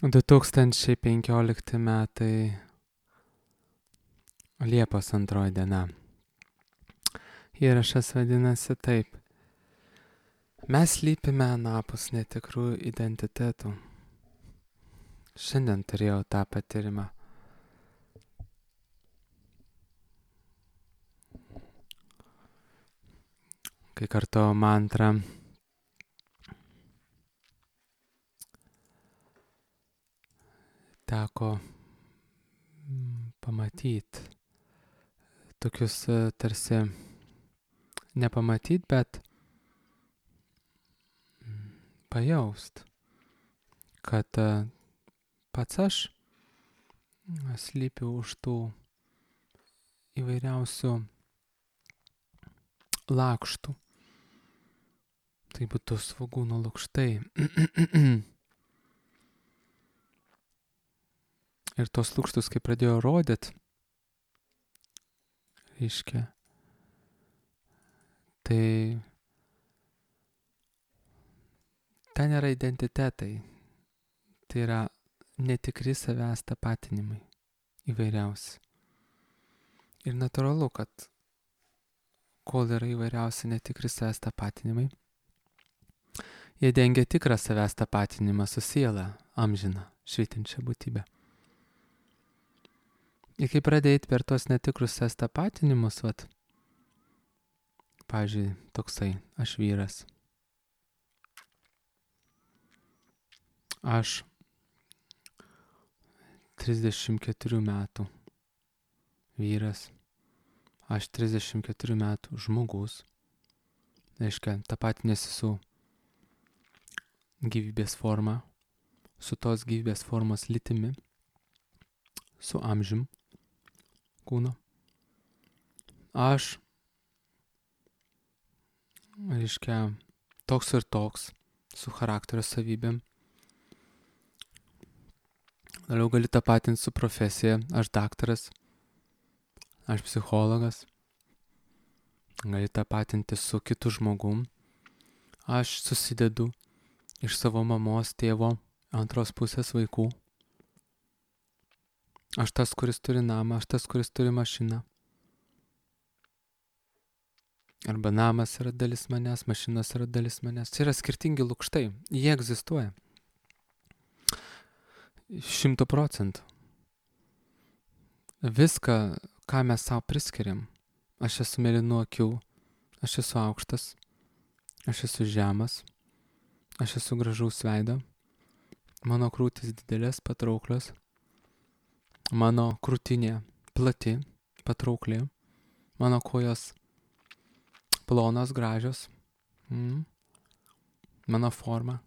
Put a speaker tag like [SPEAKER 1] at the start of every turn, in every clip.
[SPEAKER 1] 2015 metai Liepos 2 diena. Įrašas vadinasi taip. Mes slypime anapus netikrų identitetų. Šiandien turėjau tą patyrimą. Kai kartojau mantrą, teko pamatyti tokius tarsi nepamatyti, bet pajaust, kad pats aš slypiu už tų įvairiausių lakštų. Tai būtų svogūno lukštai. Ir tos lukštus, kai pradėjo rodyt, reiškia, tai ten yra identitetai. Tai yra netikri savęs tapatinimai įvairiausi. Ir natūralu, kad kol yra įvairiausi netikri savęs tapatinimai, jie dengia tikrą savęs tapatinimą su siela, amžiną, švytinčią būtybę. Ir kai pradėjai per tuos netikrus savęs tapatinimus, pavyzdžiui, toksai, aš vyras. Aš 34 metų vyras. Aš 34 metų žmogus. Reiškia, tapatinėsi su gyvybės forma, su tos gyvybės formos lytimi, su amžium kūno. Aš, reiškia, toks ir toks, su charakterio savybėm. Toliau gali tapatinti su profesija, aš daktaras, aš psichologas. Gali tapatinti su kitu žmogum. Aš susidedu iš savo mamos, tėvo, antros pusės vaikų. Aš tas, kuris turi namą, aš tas, kuris turi mašiną. Arba namas yra dalis manęs, mašinos yra dalis manęs. Tai yra skirtingi lukštai. Jie egzistuoja. 100%. Viską, ką mes savo priskiriam. Aš esu mėlynų akių, aš esu aukštas, aš esu žemas, aš esu gražaus veido, mano krūtis didelės, patrauklios, mano krūtinė plati, patraukli, mano kojos plonos, gražios, mano forma,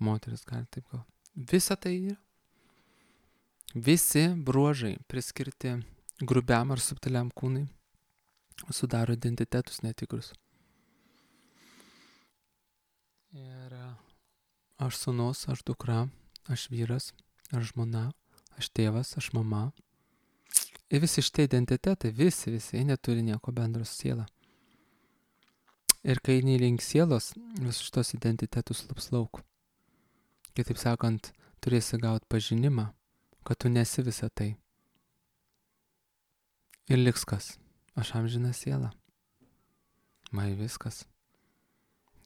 [SPEAKER 1] moteris gali taip gal. Visa tai yra. Visi bruožai priskirti grubiam ar subtiliam kūnai sudaro identitetus netikrus. Ir aš sūnus, aš dukra, aš vyras, aš žmona, aš tėvas, aš mama. Ir visi šitie identitetai, visi, jie neturi nieko bendro su siela. Ir kai eini link sielos, visus šitos identitetus lups lauk. Kitaip sakant, turėsi gauti pažinimą, kad tu nesi visa tai. Ir liks kas? Aš amžina siela. Mai viskas.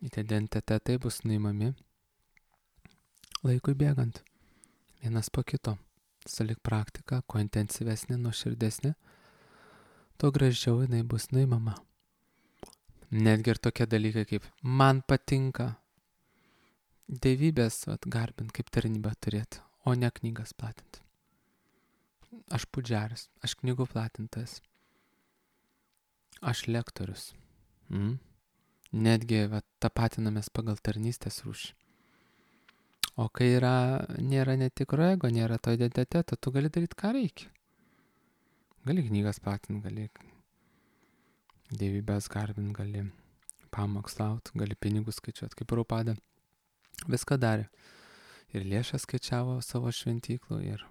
[SPEAKER 1] Identitetai bus nuimami laikui bėgant. Vienas po kito. Sulik praktika, kuo intensyvesnė, nuoširdesnė, tuo gražiau jinai bus nuimama. Netgi ir tokie dalykai kaip man patinka dievybės garbint kaip tarnybą turėti, o ne knygas platinti. Aš pudžeris, aš knygų platintas, aš lektorius. Netgi tapatinamės pagal tarnystės rūšį. O kai nėra netikro ego, nėra to identiteto, tu gali daryti ką reikia. Gali knygas platinti, gali dievybės garbinti, gali pamokslauti, gali pinigus skaičiuoti, kaip Prabhupada. Viską darė. Ir lėšas skaičiavo savo šventyklų ir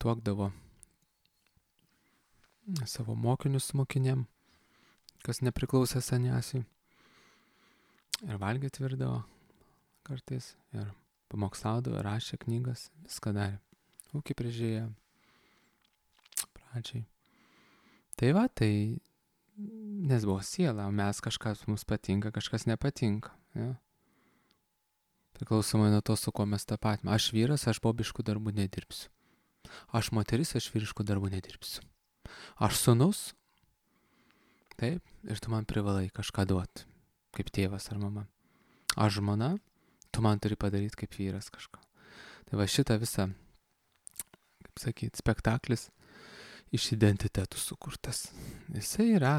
[SPEAKER 1] tuokdavo savo mokinius mokinėm, kas nepriklausė saniasiui. Ir valgyti virdavo kartais. Ir Pamokslaudavo, rašė knygas, viską darė. Ūkį prižiūrėjo pradžiai. Tai va, tai nes buvo siela, o mes kažkas mums patinka, kažkas nepatinka. Ja? Priklausomai nuo to, su kuo mes tapatime. Aš vyras, aš bobiškų darbų nedirbsiu. Aš moteris, aš vyriškų darbų nedirbsiu. Aš sūnus, taip, ir tu man privalai kažką duoti, kaip tėvas ar mama. Aš žmona, tu man turi padaryti kaip vyras kažką. Tai va šitą visą, kaip sakyti, spektaklis iš identitetų sukurtas. Jisai yra,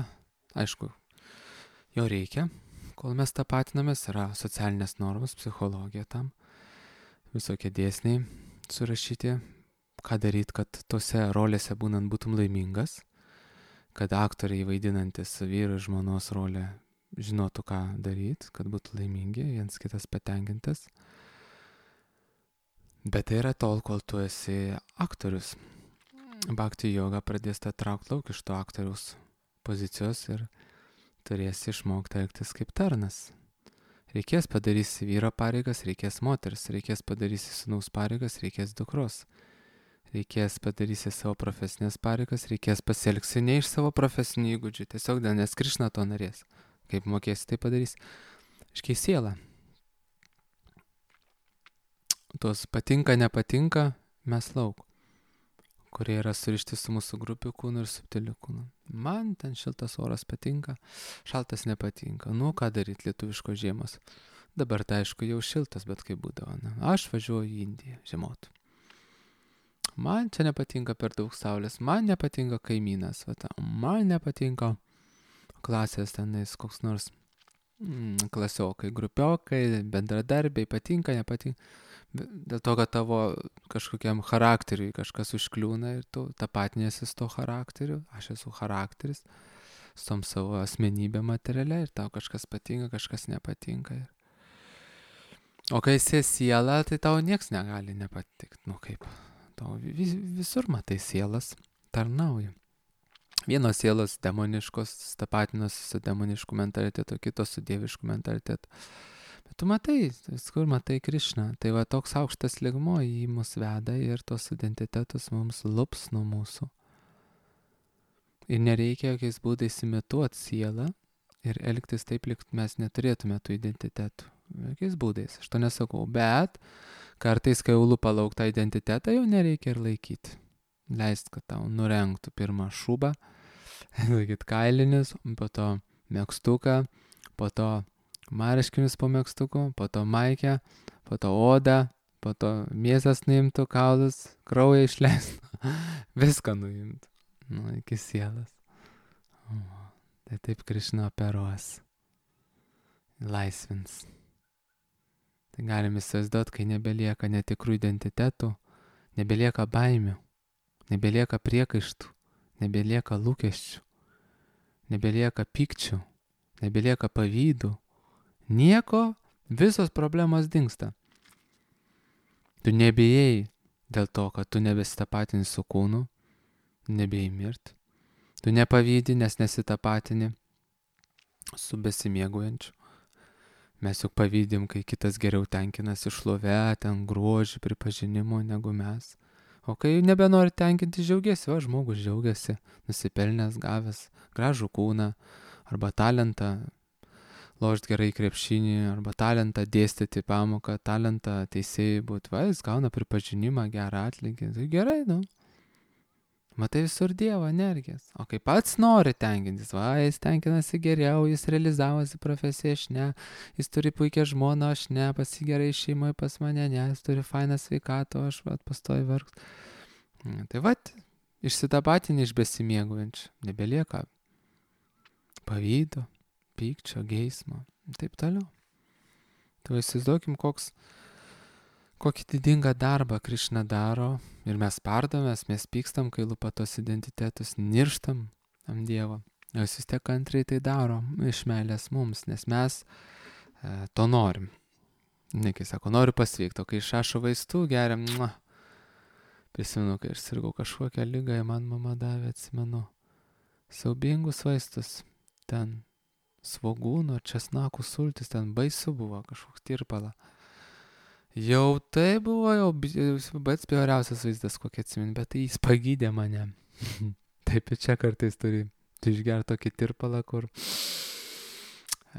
[SPEAKER 1] aišku, jo reikia, kol mes tapatinamės, yra socialinės normos, psichologija tam, visokie dėsniai surašyti, ką daryti, kad tose rolėse būnant būtum laimingas, kad aktoriai vaidinantis vyro ir žmonos rolę žinotų, ką daryti, kad būtų laimingi, viens kitas patenkintas. Bet tai yra tol, kol tu esi aktorius. Bhakti joga pradės tą traukti lauk iš to aktoriaus pozicijos ir turėsi išmokti elgtis kaip tarnas. Reikės padarysi vyro pareigas, reikės moters, reikės padarysi sūnaus pareigas, reikės dukros. Reikės padarysi savo profesinės pareigas, reikės pasielgsi ne iš savo profesinių įgūdžių, tiesiog dėl nes Krišna to norės. Kaip mokėsi, tai padarysi. Iškiai siela. Tos patinka, nepatinka, mes lauk, kurie yra surišti su mūsų grupių kūnu ir subtiliu kūnu. Man ten šiltas oras patinka, šaltas nepatinka. Nu, ką daryti lietuviškos žiemos? Dabar tai aišku jau šiltas, bet kaip būdavo. Ne? Aš važiuoju į Indiją žiemot. Man čia nepatinka per daug saulės, man nepatinka kaimynas, man nepatinka klasės tenais koks nors klasiokai, grupiokai, bendradarbiai, patinka, nepatinka. Dėl to, kad tavo kažkokiam charakteriui kažkas užkliūna ir tu tapatinėsi su to charakteriu, aš esu charakteris, su tom savo asmenybė materialia ir tau kažkas patinka, kažkas nepatinka. O kai esi siela, tai tau nieks negali nepatikti, nu kaip. Tau visur matai sielas tarnauja. Vienos sielos demoniškos tapatinos su demonišku mentalitetu, kitos su dievišku mentalitetu. Bet tu matai, viskur matai Krišną. Tai va toks aukštas lygmuo į mus veda ir tos identitetus mums lups nuo mūsų. Ir nereikia jokiais būdais imituoti sielą ir elgtis taip, lyg mes neturėtume tų identitetų. Jokiais būdais, aš to nesakau, bet kartais, kai jau lupa lauk tą identitetą, jau nereikia ir laikyti. Leist, kad tau nurengtų pirmą šūbą, laikyti kailinius, po to megztuką, po to marškinius po megztuku, po to maikę, po to odą, po to mėsas nuimtų, kaulus, kraują išleistų, viską nuimtų, iki sielas. Tai taip Krišna operuos, laisvins. Tai galim įsivaizduoti, kai nebelieka netikrų identitetų, nebelieka baimių, nebelieka priekaištų, nebelieka lūkesčių, nebelieka pykčių, nebelieka pavydų. Nieko, visos problemos dingsta. Tu nebijai dėl to, kad tu nebesitapatini su kūnu, nebijai mirti. Tu nepavydį, nes nesitapatini su besimėguojančiu. Mes juk pavydim, kai kitas geriau tenkinasi šlove, ten grožį, pripažinimu negu mes. O kai nebenori tenkinti, džiaugiasi, o žmogus džiaugiasi, nusipelnęs, gavęs gražų kūną, arba talentą lošti gerai krepšinį, arba talentą dėstyti pamoką, talentą teisėjai būti, va, jis gauna pripažinimą, gerą atlygį. Tai gerai, nu. Matai visur Dievo energijas. O kai pats nori tenkintis, va, jis tenkinasi geriau, jis realizavosi profesiją, aš ne, jis turi puikią žmoną, aš ne, pasigerai šeimoje pas mane, ne, jis turi fainą sveikatą, aš va, pastoju vargt. Tai va, išsitapatinį iš besimėguojančių, nebelieka pavydo, pykčio, geismo, taip toliau. Tai įsivaizduokim, kokį didingą darbą Krišna daro ir mes pardomės, mes pykstam, kai lupa tos identitetus, nirštam ant Dievo. Jis vis tiek kantriai tai daro iš meilės mums, nes mes to norim. Kai sako, noriu pasveikti, o kai išrašo vaistų, geriam, prisimenu, kai aš sirgau kažkokią ligą, man mama davė, atsimenu, siaubingus vaistus, ten svogūno, česnakų sultis, ten baisu buvo kažkoks tirpala. Jau tai buvo jau pats bjauriausias vaizdas, kokį atsimenu, bet tai jis pagydė mane. Taip ir čia kartais turi išgerti tokį tirpalą, kur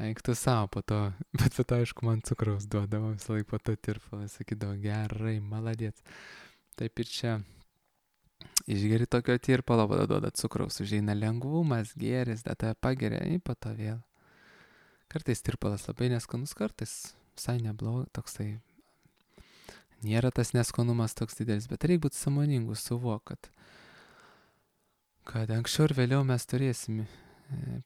[SPEAKER 1] eiktų savo po to, bet po to aišku man cukraus duodavo visą laiką po to tirpalą, sakydavo gerai, maladėts. Taip ir čia išgeri tokio tirpalo, tada duoda cukraus, užeina lengvumas, gėris, tada pageria, po to vėl. Kartais tirpalas labai neskanus, kartais visai neblogas, toksai. Nėra tas neskanumas toks didelis, bet reikia būti sąmoningu, suvok, kad anksčiau ir vėliau mes turėsim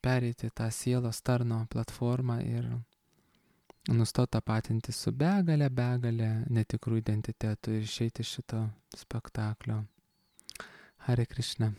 [SPEAKER 1] pereiti tą sielos tarno platformą ir nustoti tapatinti su begalė netikrų identitetų ir išeiti iš šito spektaklio. Hare Krishna.